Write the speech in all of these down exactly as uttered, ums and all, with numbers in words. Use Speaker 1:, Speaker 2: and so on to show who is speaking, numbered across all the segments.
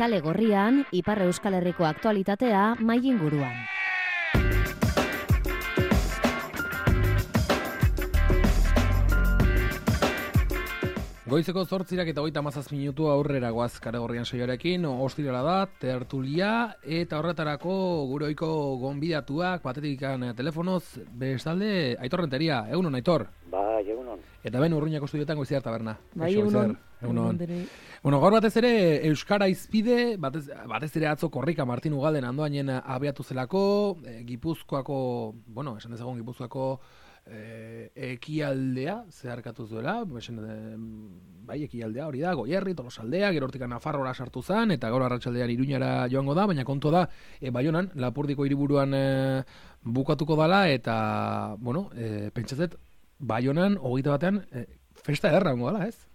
Speaker 1: Kale Gorrian, Ipar Euskal Herriko aktualitatea mai inguruan.
Speaker 2: Goizeko zortzirak eta hogeita hamazazpi minutu aurrera goaz Kale Gorrian saioarekin, ostirala da, tertulia, eta horretarako gure ohiko gonbidatuak, batetik telefonoz, bestalde, Aitor Renteria, egunon, Aitor?
Speaker 3: Ba, egunon.
Speaker 2: Eta ben Urruñako estudioetan Goiziar taberna.
Speaker 4: Bai, egunon.
Speaker 2: Egunon. Bueno, gaur batez ere Euskara izpide, batez, batez ere atzo Korrika Martin Ugalden andoainen abiatu zelako, e, Gipuzkoako, bueno, esan dezagun Gipuzkoako e, ekialdea zeharkatu zuela, esan, e, bai, ekialdea hori da, Goierri, Tolosaldea, gero hortik Nafarroara sartu zen, eta gaur arratsaldean Iruñara joango da, baina kontu da, e, Baionan, Lapurdiko hiriburuan e, bukatuko dala, eta, bueno, e, pentsatzet, Baionan, hogeita batean, e, festa ederra hongo dala, ez?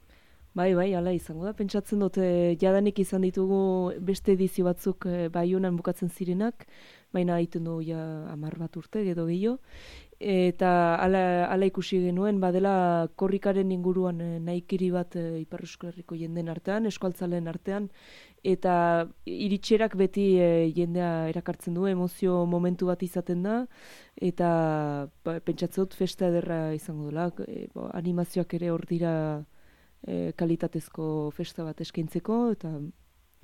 Speaker 4: Bai, bai, hala izango da. Pentsatzen dut, e, jadanik izan ditugu beste edizio batzuk e, Baionan bukatzen zirenak, baina egiten du ja hamar bat urte, edo gehiago. Eta hala, hala ikusi genuen, badela korrikaren inguruan e, nahikiri bat e, Ipar Euskal Herriko jenden artean, eskualtzaleen artean, eta iritserak beti e, jendea erakartzen du, emozio momentu bat izaten da, eta ba, pentsatzen dut festa ederra izango dela, e, bo, animazioak ere hor dira e, kalitatezko festa bat eskaintzeko, eta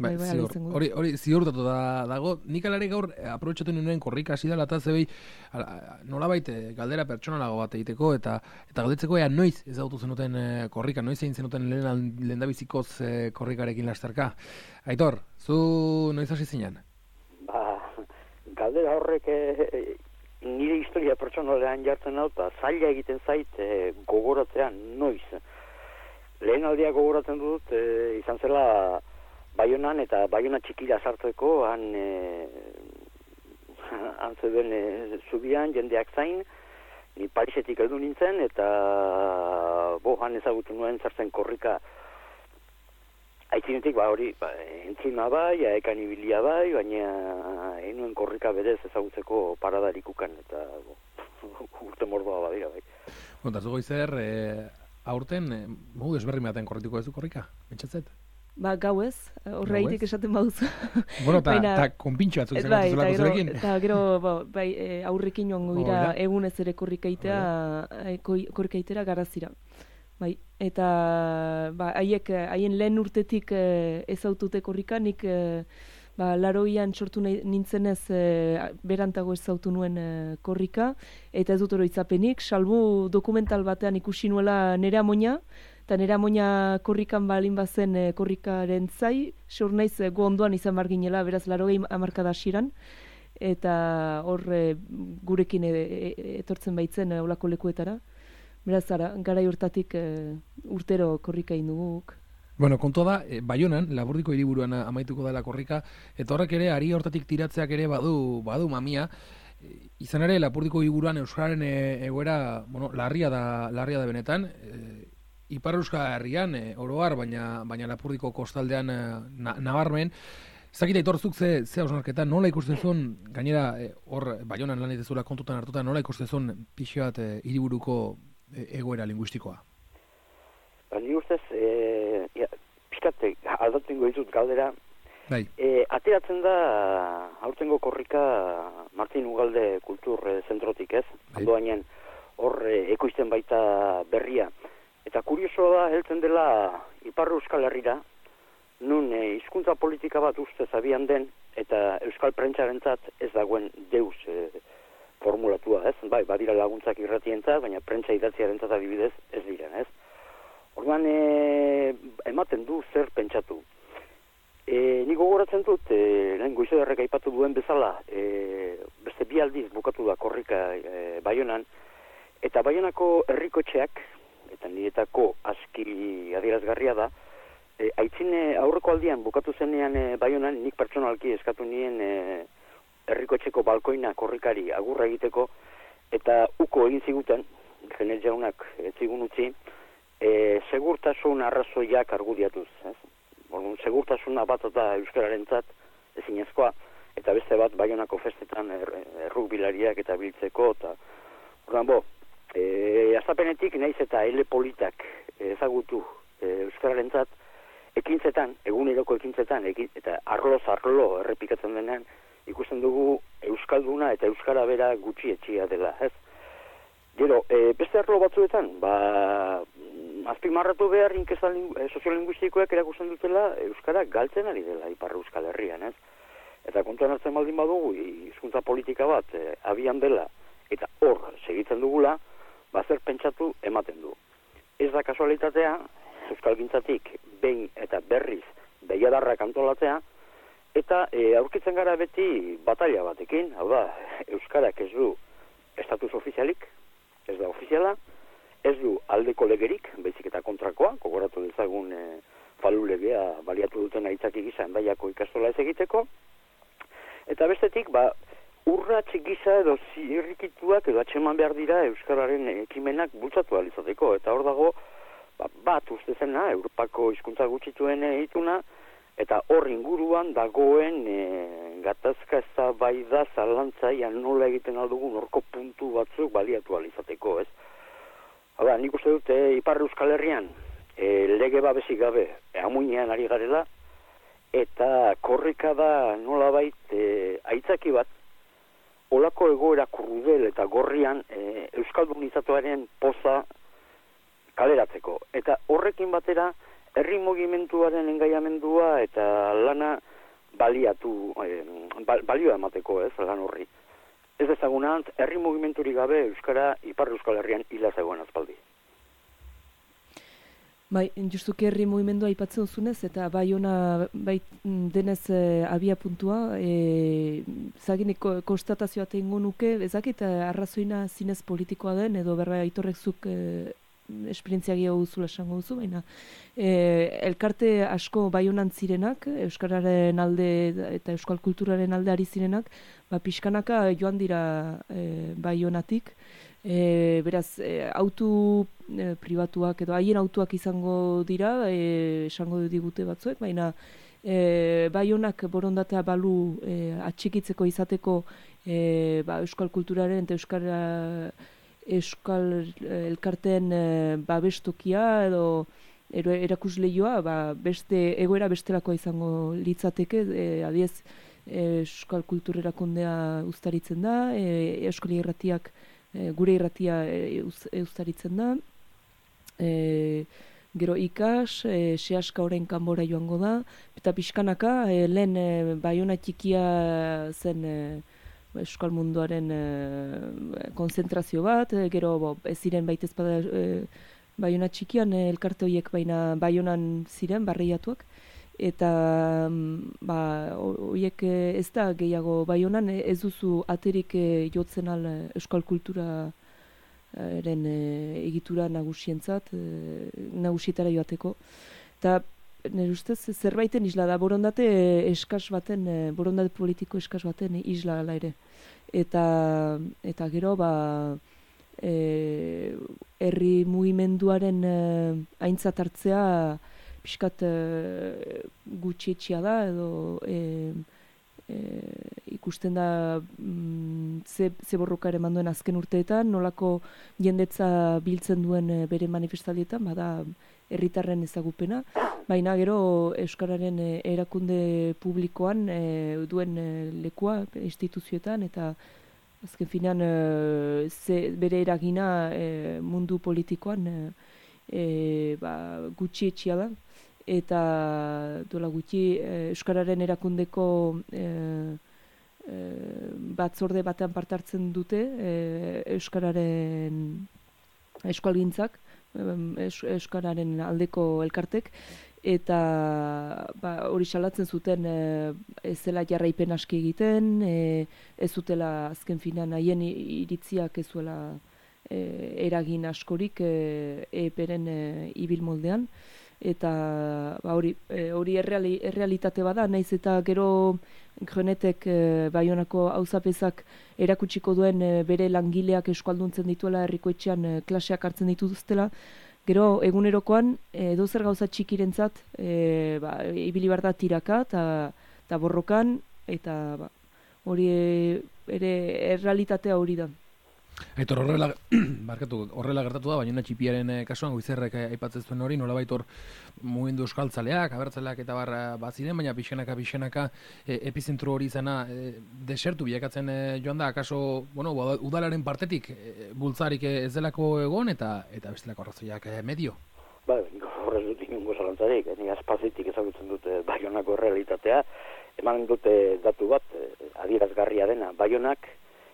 Speaker 2: bai, bai, ziur, hori, hori ziurtatu da, dago. Nik alare gaur aprobetxatu nuen korrika hasi dela, eta zebei nolabait galdera pertsonalago bat egiteko, eta eta galdetzeko ea noiz ezagutu zenuten e, korrika, noiz egin zenuten lehen lehendabizikoz e, korrikarekin lasterka. Aitor, zu noiz hasi zinen?
Speaker 3: Ba, galdera horrek e, nire historia pertsonalean jartzen hau, eta zaila egiten zait e, gogoratzean noiz. Lehen aldia gogoratzen dut, e, izan zela Baionan eta Baiona txikira sartzeko, han e, han zeuden e, zubian, jendeak zain, ni Parisetik heldu nintzen, eta bo, han ezagutu nuen zartzen korrika aitzinetik, ba hori, ba, entzima bai, aekan ibilia bai, baina enuen korrika berez ezagutzeko paradarikukan, eta bo, urte mordoa badira bai.
Speaker 2: Bueno, eta zugo izer, e, aurten, e, mogu desberri baten korrituko ez du korrika, pentsatzet?
Speaker 4: Ba, gau ez, horreitik esaten baduzu.
Speaker 2: Bueno, eta konpintxo batzuk izan
Speaker 4: bai,
Speaker 2: zelako zurekin.
Speaker 4: Eta gero, ba, bai, e, aurrekin joango gira oh, egunez ere korrikaitera, e, korrikaitera garazira. Bai, eta ba, haiek, haien lehen urtetik e, ezautute korrika, nik e, ba, laroian sortu nintzenez e, berantago ezautu nuen e, korrika, eta ez dut oroitzapenik, salbu dokumental batean ikusi nuela nere amoina, eta nera moina korrikan balin bazen e, korrikaren zai, seur naiz e, gu ondoan izan marginela, beraz larogei hamarkada hasieran, eta hor e, gurekin e, e, etortzen baitzen e, olako lekuetara. Beraz, ara, garai hortatik e, urtero korrika induguk.
Speaker 2: Bueno, kontua da, e, Baionan, Lapurdiko hiriburuan amaituko dela korrika, eta horrek ere, ari hortatik tiratzeak ere badu, badu mamia, e, izan ere, Lapurdiko hiriburuan Euskararen e, egoera, bueno, larria da, larria da benetan, e, Ipar Euskal Herrian, e, oroar, baina, baina Lapurdiko kostaldean e, na, nabarmen. Zakita itorzuk ze, ze hausnarketa, nola ikusten zuen, gainera e, hor Baionan lan egitezula kontutan hartuta, nola ikusten zuen pixi bat e, hiriburuko e, egoera linguistikoa?
Speaker 3: Ba, ni ustez, e, ja, pixkate, aldatzen goizut galdera,
Speaker 2: bai.
Speaker 3: E, ateratzen da aurtengo korrika Martin Ugalde kultur e, zentrotik, ez? Bai. Andoainen hor e, ekoizten baita berria. Eta kuriosoa da, heltzen dela Ipar Euskal Herrira, nun e, hizkuntza politika bat ustez abian den, eta Euskal Prentsarentzat ez dagoen deus e, formulatua, ez? Bai, badira laguntzak irratientzat, baina prentsa idatziarentzat adibidez ez dira, ez? Orduan, e, ematen du zer pentsatu. E, Nik gogoratzen dut, e, lehen Goizoderrek aipatu duen bezala, e, beste bi aldiz bukatu da korrika e, Baionan, eta Baionako herrikotxeak, eta niretako aski adierazgarria da, e, aitzine aurreko aldian bukatu zenean e, Baionan, nik pertsonalki eskatu nien e, herrikotxeko balkoina korrikari agurra egiteko, eta uko egin ziguten, Genel jaunak ez zigun utzi, e, segurtasun arrazoiak argudiatuz. Ez? Orduan, segurtasuna bat da euskararentzat ezinezkoa, eta beste bat Baionako festetan er, errukbilariak eta biltzeko, eta orduan, bo, E, azapenetik naiz eta ele politak ezagutu e, euskararentzat, ekintzetan, eguneroko ekintzetan, ekin, eta arloz arlo errepikatzen denean, ikusten dugu euskalduna eta euskara bera gutxi etxia dela, ez? Gero, e, beste arlo batzuetan, ba, azpimarratu behar inkesta e, soziolinguistikoak erakusten dutela euskara galtzen ari dela Ipar Euskal Herrian, ez? Eta kontuan hartzen baldin badugu, hizkuntza politika bat e, abian dela, eta hor segitzen dugula, ba, zer pentsatu ematen du. Ez da kasualitatea, euskalgintzatik behin eta berriz behiadarrak antolatzea, eta e, aurkitzen gara beti batalla batekin, hau da, euskarak ez du estatus ofizialik, ez da ofiziala, ez du aldeko legerik, baizik eta kontrakoa, gogoratu dezagun e, falu legea baliatu duten aitzaki gisa Hendaiako ikastola ez egiteko, eta bestetik, ba, urratx gisa edo zirrikituak edo atxeman behar dira euskararen ekimenak bultzatu alizateko, eta hor dago, ba, bat uste zena, Europako hizkuntza gutxituen ituna, eta hor inguruan dagoen e, gatazka eztabaida zalantzaian nola egiten aldugun horko puntu batzuk baliatu alizateko, ez? Hala, nik uste dute Ipar Euskal Herrian e, lege babesik gabe e, amuinean ari garela, eta korrika da nolabait e, aitzaki bat, olako egoera krudel eta gorrian e, euskaldunizatuaren poza kaleratzeko. Eta horrekin batera, herri mugimenduaren engaiamendua eta lana baliatu, e, balioa emateko, ez, lan horri. Ez dezagunant, herri mugimendurik gabe Euskara Ipar Euskal Herrian hila zegoen azpaldi.
Speaker 4: Bai, justuki herri mugimendua aipatzen duzunez, eta bai ona bai denez e, abia puntua, e, zaginik konstatazioa tengo nuke, ezakit arrazoina zinez politikoa den, edo berra aitorrek zuk e, esperientzia gehiago duzula esango duzu, baina e, elkarte asko bai honan zirenak, euskararen alde eta euskal kulturaren alde ari zirenak, ba, pixkanaka joan dira e, bai honatik, E, beraz, e, autu e, pribatuak edo haien autuak izango dira, e, esango digute batzuek, baina e, bai honak borondatea balu e, atxikitzeko izateko e, ba, euskal kulturaren eta euskara, euskal elkarteen e, babestokia edo erakusleioa, ba, beste egoera bestelakoa izango litzateke, e, adiez euskal kulturerakundea uztaritzen da, e, euskal irratiak E, gure irratia e, eustaritzen da, e, gero ikas, e, sehaska orain kanbora joango da, eta pixkanaka, e, lehen e, Baiona txikia zen e, euskal munduaren e, konzentrazio bat, e, gero bo, ez ziren baitez bada e, Baiona txikian e, elkarte horiek baina Baionan ziren, barreiatuak, eta ba, horiek ez da gehiago bai honan, ez duzu aterik jotzen al euskal kulturaren egitura nagusientzat, nagusietara joateko. Eta nire ustez zerbaiten isla da, borondate eskas baten, borondate politiko eskas baten isla ala ere. Eta, eta gero, ba, e, herri mugimenduaren aintzat hartzea pixkat e, gutxietxia da, edo e, e, ikusten da mm, ze, ze borroka ere manduen azken urteetan, nolako jendetza biltzen duen e, bere manifestaldietan, bada herritarren ezagupena, baina gero euskararen e, erakunde publikoan e, duen e, lekua instituzioetan, eta azken finean e, ze, bere eragina e, mundu politikoan e, e, ba, gutxietxia da. Eta duela gutxi e, euskararen erakundeko e, e, batzorde batean parte hartzen dute e, euskararen euskalgintzak, e, euskararen aldeko elkartek, eta ba, hori salatzen zuten e, ez zela jarraipen aski egiten, e, ez zutela azken finan haien iritziak ez zuela e, eragin askorik e, eperen e, ibil moldean. Eta ba, hori, e, hori erreali, errealitate bada, naiz eta gero Jonetek e, Baionako auzapezak erakutsiko duen e, bere langileak euskalduntzen dituela herriko etxean e, klaseak hartzen dituztela, gero egunerokoan e, dozer gauza txikirentzat e, ba, ibili behar da tiraka eta borrokan, eta ba, hori e, ere errealitatea hori da.
Speaker 2: Aitor, horrela, barkatu, horrela gertatu da, baina txipiaren kasuan Goizerrek aipatzen zuen hori, nolabait hor mugimendu euskaltzaleak, abertzaleak eta barra baziren, baina pixenaka, pixenaka e, epizentro hori izana e, desertu bilakatzen e, joan da, akaso, bueno, udalaren partetik e, bultzarik ez delako egon eta eta bestelako arrazoiak e, medio?
Speaker 3: Ba, horrez dut inungo zalantzarik, ni azpazitik ezagutzen dute Baionako realitatea, eman dute datu bat, adierazgarria dena, Baionak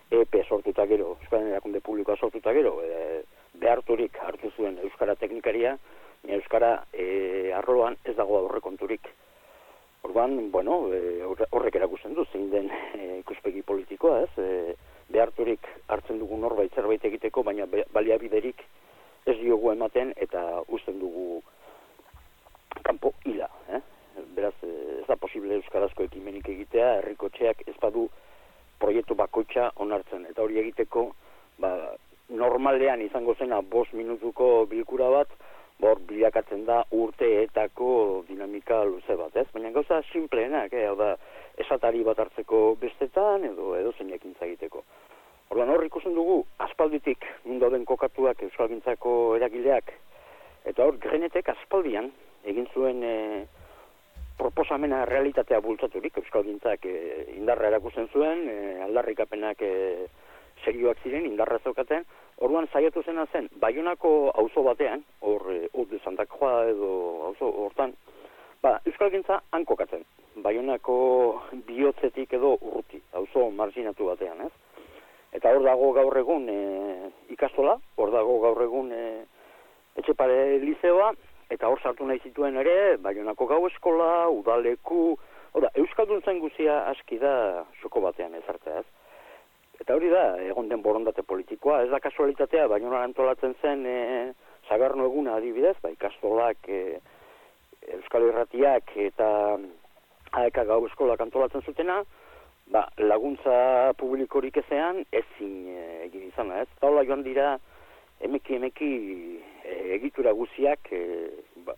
Speaker 3: E P sortuta gero, Euskaren Erakunde Publikoa sortuta gero, e, beharturik hartu zuen Euskara teknikaria, Euskara e, arloan ez dago aurrekonturik. Orduan, bueno, e, horrek erakusten du, zein den e, ikuspegi politikoa, ez? E, beharturik hartzen dugu norbait zerbait egiteko, baina baliabiderik ez diogu ematen eta uzten dugu kanpo hila, eh? Beraz, ez da posible euskarazko ekimenik egitea, herrikotxeak ez badu proiektu bakoitza onartzen, eta hori egiteko ba, normalean izango zena bost minutuko bilkura bat, bor bilakatzen da urteetako dinamika luze bat, ez? Baina gauza simpleenak, eh? Hau da, esatari bat hartzeko bestetan, edo edo zeinekin egiteko. Orduan hor ikusten dugu, aspalditik mundu den kokatuak euskalgintzako eragileak, eta hor Grenetek aspaldian egin zuen e, proposamena realitatea bultzaturik, euskalgintzak e, indarra erakusten zuen, e, aldarrikapenak e, serioak ziren, indarra zeukaten, orduan saiatu zena zen, Baionako auzo batean, hor, e, hor de Santa Croix edo auzo hortan, ba, euskalgintza hankokatzen, Baionako bihotzetik edo urruti, auzo marginatu batean, ez? Eta hor dago gaur egun e, ikastola, hor dago gaur egun e, Etxepare lizeoa, eta hor sartu nahi zituen ere, Baionako gau eskola, udaleku, oda, euskaldun zen guzia aski da xoko batean ezartzea, ez? Eta hori da, egon den borondate politikoa, ez da kasualitatea, Baionan antolatzen zen e, Sagarno eguna adibidez, ba, ikastolak, e, Euskal Irratiak eta A E K gau eskolak antolatzen zutena, ba, laguntza publikorik ezean ezin e, egin izana, ez? Taula joan dira, emeki emeki e, egitura guziak e,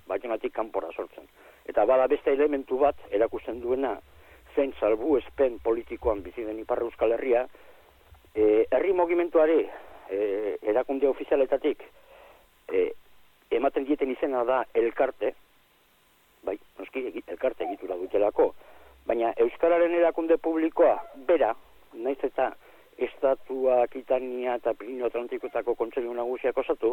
Speaker 3: Baionatik kanpora sortzen. Eta bada beste elementu bat erakusten duena zein salbu espen politikoan bizi den Ipar Euskal Herria, e, herri mugimenduari e, erakunde ofizialetatik e, ematen dieten izena da elkarte, bai, noski elkarte egitura dutelako, baina Euskararen erakunde publikoa bera, naiz eta Estatua, Akitania eta Pirineo Atlantikotako Kontseilu Nagusiak osatu,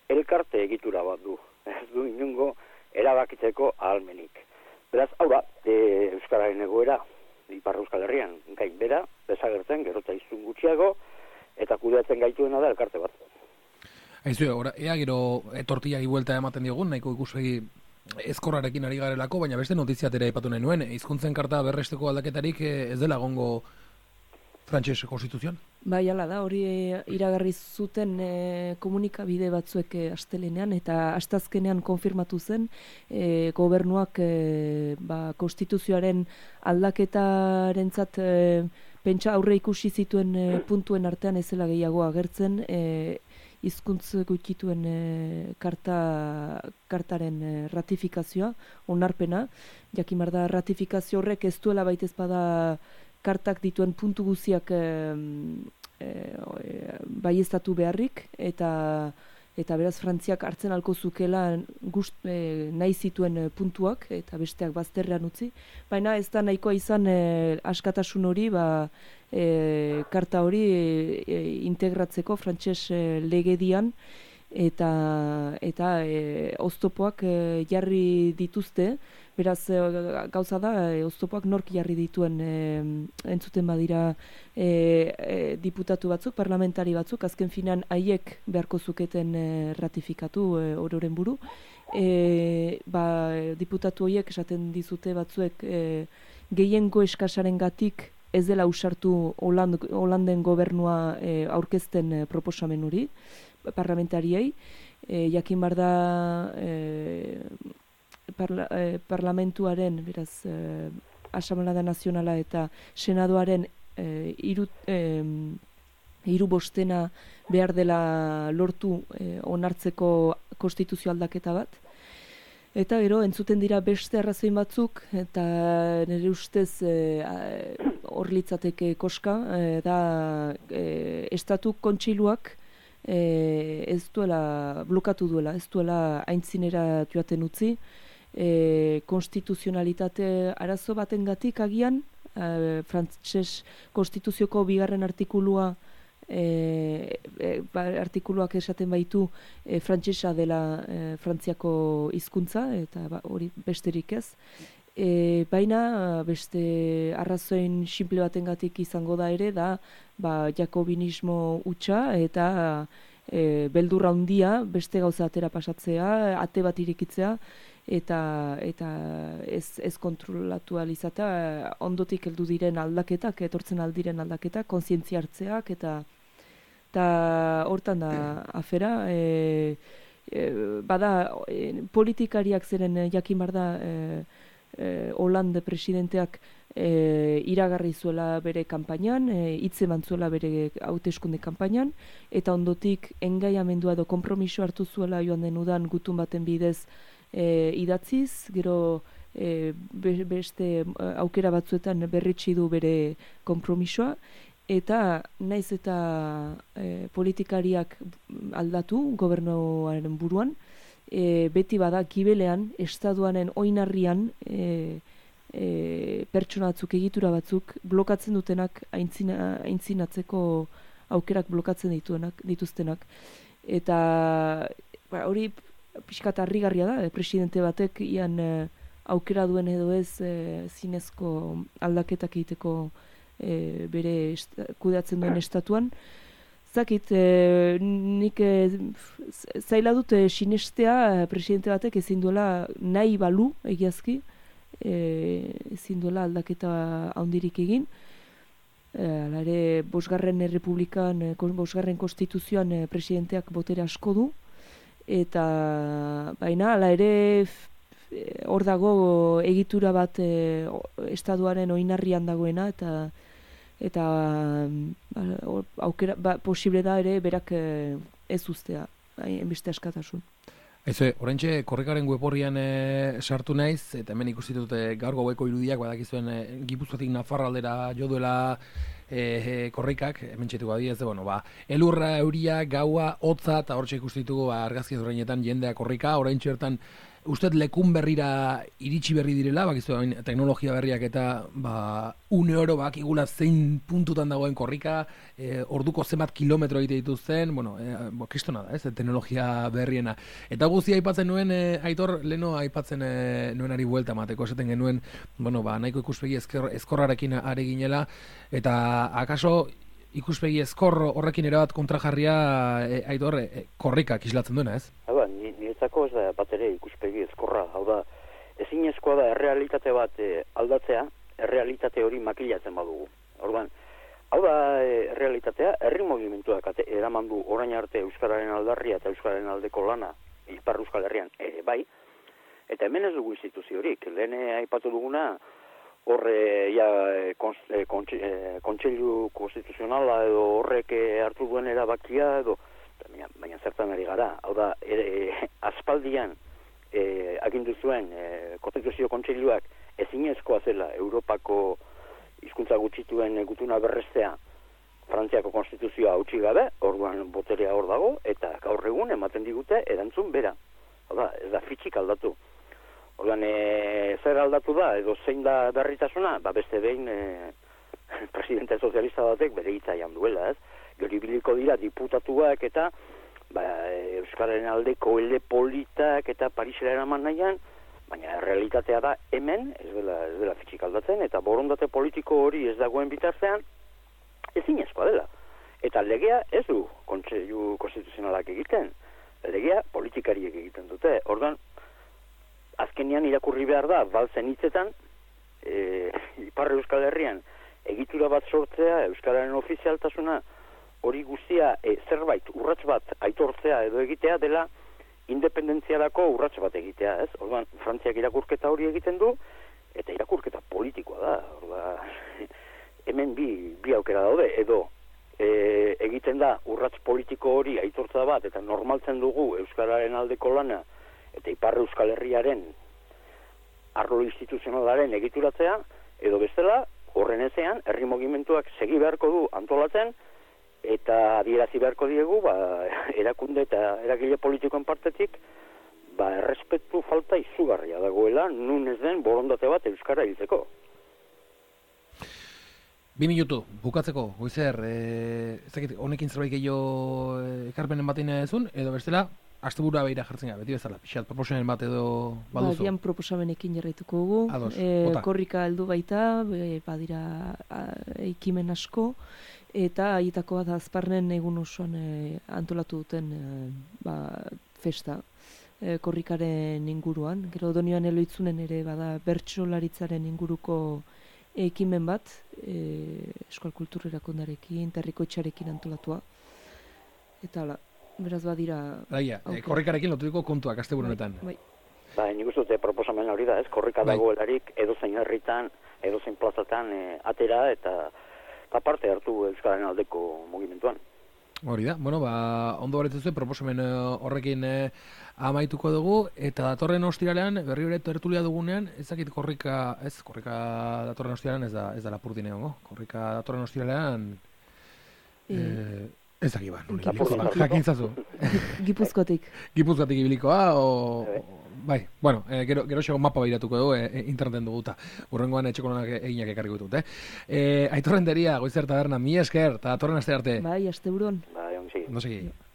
Speaker 3: elkarte egitura bat du. Ez du inungo erabakitzeko ahalmenik. Beraz, hau da, e, Euskararen egoera, Ipar Euskal Herrian, gain bera, desagertzen, gero eta izun gutxiago, eta kudeatzen gaituena da elkarte bat.
Speaker 2: Aizu, ora, ea gero etortiagi buelta ematen diogun, nahiko ikuspegi ezkorrarekin ari garelako, baina beste notiziatera aipatu nahi nuen, hizkuntzen karta berresteko aldaketarik ez dela egongo Frantses konstituzioan? Bai,
Speaker 4: hala da, hori iragarri zuten e, komunikabide batzuek e, astelenean, eta astazkenean konfirmatu zen e, gobernuak e, ba, konstituzioaren aldaketarentzat e, pentsa aurre ikusi zituen e, puntuen artean ezela gehiago agertzen e, hizkuntz gutxituen e, karta, kartaren e, ratifikazioa, onarpena, jakimar da ratifikazio horrek ez duela baitez bada kartak dituen puntu guziak e, e, baieztatu beharrik, eta eta beraz Frantziak hartzen alko zukela gust, e, nahi zituen puntuak, eta besteak bazterrean utzi. Baina ez da nahikoa izan e, askatasun hori, ba, e, karta hori e, integratzeko frantses e, legedian, eta eta e, oztopoak e, jarri dituzte. Beraz, gauza da, e, oztopoak nork jarri dituen e, entzuten badira e, e, diputatu batzuk, parlamentari batzuk, azken finan haiek beharko zuketen e, ratifikatu e, ororen buru. E, ba, diputatu horiek esaten dizute batzuek e, gehiengo eskasaren gatik ez dela usartu Holand, Holanden gobernua e, aurkezten e, proposamen hori, parlamentariei. E, jakin bar da... E, Parla, eh, parlamentuaren, beraz, eh, Asamblea Nazionala eta Senadoaren eh, hiru eh, hiru bostena behar dela lortu eh, onartzeko konstituzio aldaketa bat. Eta gero, entzuten dira beste arrazoin batzuk, eta nire ustez eh, hor litzateke koska, e, da e, estatu kontseiluak e, ez duela, blokatu duela, ez duela aintzinera joaten utzi, e, konstituzionalitate arazo batengatik agian, e, frantses konstituzioko bigarren artikulua E, e, ba, artikuluak esaten baitu e, frantsesa dela e, Frantziako hizkuntza eta ba, hori besterik ez. E, baina beste arrazoin simple batengatik izango da ere da ba, jakobinismo hutsa eta e, beldurra handia beste gauza atera pasatzea, ate bat irekitzea eta eta ez, ez kontrolatu alizatea ondotik heldu diren aldaketak, etortzen aldiren aldaketak, kontzientzia hartzeak eta eta hortan da afera, e, e, bada e, politikariak zeren jakin bar da e, e, Hollande presidenteak e, iragarri zuela bere kanpainan, hitz eman zuela bere hauteskunde kanpainan, eta ondotik engaiamendua edo konpromiso hartu zuela joan den udan gutun baten bidez e, idatziz, gero e, be, beste aukera batzuetan berritsi du bere konpromisoa, eta naiz eta e, politikariak aldatu gobernuaren buruan, e, beti bada gibelean, estatuaren oinarrian e, e, pertsona batzuk, egitura batzuk blokatzen dutenak aintzina, aintzinatzeko aukerak blokatzen dituenak, dituztenak. Eta ba, hori pixkat harrigarria da, e, presidente batek ian e, aukera duen edo ez e, zinezko aldaketak egiteko E, bere esta, kudeatzen duen estatuan. Zakit, e, nik e, zaila dut e, sinestea presidente batek ezin duela nahi balu egiazki, e, ezin duela aldaketa handirik egin. E, ala ere, bosgarren errepublikan, e, bosgarren konstituzioan e, presidenteak botere asko du, eta baina ala ere hor dago egitura bat e, estatuaren oinarrian dagoena, eta eta ba, aukera, ba, posible da ere berak e, ez uztea, enbeste askatasun.
Speaker 2: Aizu, oraintxe korrikaren web horrian e, sartu naiz, eta hemen ikusi dute gaur gaueko irudiak, badakizuen e, Gipuzkoatik Nafarraldera jo duela e, e, korrikak, hemen txetuko adiez, bueno, ba, elurra, euria, gaua, hotza, eta hortxe ikusi ditugu ba, argazki horreinetan jendea korrika, oraintxe hortan uste lekun berrira iritsi berri direla, bakizu teknologia berriak eta ba, une oro bakigula zein puntutan dagoen korrika, e, orduko zenbat kilometro egite dituzten, bueno, e, bo, kristona da, ez, teknologia berriena. Eta guztia aipatzen nuen, e, Aitor, leno aipatzen e, nuenari buelta mateko, esaten genuen, bueno, ba, nahiko ikuspegi ezker, ezkorrarekin ari ginela, eta akaso ikuspegi ezkor horrekin erabat kontrajarria e, Aitor, e, korrikak islatzen duena, ez?
Speaker 3: Haba, niretzako ez da bat ere ikuspegi ezkorra, hau da, ezinezkoa da errealitate bat e, aldatzea, errealitate hori makilatzen badugu. Orduan, hau da e, errealitatea, herri mugimenduak eraman du orain arte euskararen aldarria eta euskararen aldeko lana, Ipar Euskal Herrian ere bai, eta hemen ez dugu instituziorik, lehen aipatu duguna, horre ja kontseilu konstituzionala edo horrek hartu duen erabakia edo baina, baina zertan ari gara, hau da ere, aspaldian e, agindu zuen e, konstituzio kontseiluak ezinezkoa zela Europako hizkuntza gutxituen gutuna berrestea Frantziako konstituzioa hautsi gabe, orduan boterea hor dago eta gaur egun ematen digute erantzun bera, hau da, ez da fitxik aldatu. Orduan, e, zer aldatu da, edo zein da berritasuna, ba beste behin e, presidente sozialista batek bere hitzaian duela, ez? Gero ibiliko dira diputatuak eta ba, Euskararen aldeko ele politak eta Parisera eraman nahian, baina realitatea da hemen, ez dela, ez dela fitxik aldatzen, eta borondate politiko hori ez dagoen bitartean, ezinezkoa dela. Eta legea ez du kontseilu konstituzionalak egiten, legea politikariek egiten dute. Orduan, azkenean irakurri behar da, balzen hitzetan, e, Ipar Euskal Herrian egitura bat sortzea, Euskararen ofizialtasuna, hori guztia e, zerbait urrats bat aitortzea edo egitea dela independentziarako urrats bat egitea, ez? Orduan, Frantziak irakurketa hori egiten du, eta irakurketa politikoa da. Orduan, hemen bi, bi aukera daude, edo e, egiten da urrats politiko hori aitortza bat, eta normaltzen dugu Euskararen aldeko lana, eta Ipar Euskal Herriaren arlo instituzionalaren egituratzea, edo bestela, horren ezean, herri mugimenduak segi beharko du antolatzen, eta adierazi beharko diegu, ba, erakunde eta eragile politikoen partetik, ba, errespetu falta izugarria dagoela, nun ez den borondate bat euskara hiltzeko.
Speaker 2: Bi minutu, bukatzeko, goizer, e, ez dakit, honekin zerbait gehiago ekarpenen batein ezun, edo bestela, asteburua behira jartzen gara, beti bezala, pixat, proposamen bat edo baduzu.
Speaker 4: Ba, proposamenekin jarraituko dugu,
Speaker 2: Ados,
Speaker 4: e,
Speaker 2: bota.
Speaker 4: korrika heldu baita, e, badira a, ekimen asko, eta aietakoa da azparnen egun osoan e, antolatu duten e, ba, festa. E, korrikaren inguruan, gero Donioan Eloitzunen ere bada bertsolaritzaren inguruko ekimen bat, e, Euskal Kultur Erakundarekin, Terrikoitxarekin antolatua. Eta hala, beraz badira...
Speaker 2: Daia, e, korrikarekin loturiko kontuak asteburu honetan.
Speaker 4: Bai.
Speaker 3: Ba, nik uste dute proposamen hori da, ez? Korrika
Speaker 2: Bai.
Speaker 3: dagoelarik edozein herritan, edozein plazatan e, atera eta eta parte hartu euskararen aldeko mugimenduan.
Speaker 2: Hori da, bueno, ba, ondo baretzuzue, proposamen eh, horrekin eh, amaituko dugu, eta datorren ostiralean, berri hori tertulia dugunean, ezakit korrika, ez, korrika datorren ostiralean ez da, ez da Lapurdin egongo, korrika datorren ostiralean, eh, ez dakit ba, nori
Speaker 3: Lapurdin
Speaker 2: ibiliko da,
Speaker 3: hartuko.
Speaker 2: jakintzazu.
Speaker 4: Gipuzkotik.
Speaker 2: Gipuzkoatik ibilikoa, o,
Speaker 3: Bai.
Speaker 2: o- bai, bueno, eh, gero, gero xego mapa behiratuko dugu, eh, interneten duguta, urrengoan etxeko lanak eginak ekarriko ditut, eh? Eh, Aitor Renteria, Goizer Taberna, mi esker, eta datorren aste arte.
Speaker 4: Bai, asteburuan.
Speaker 3: Ba, ongi.
Speaker 2: No segi.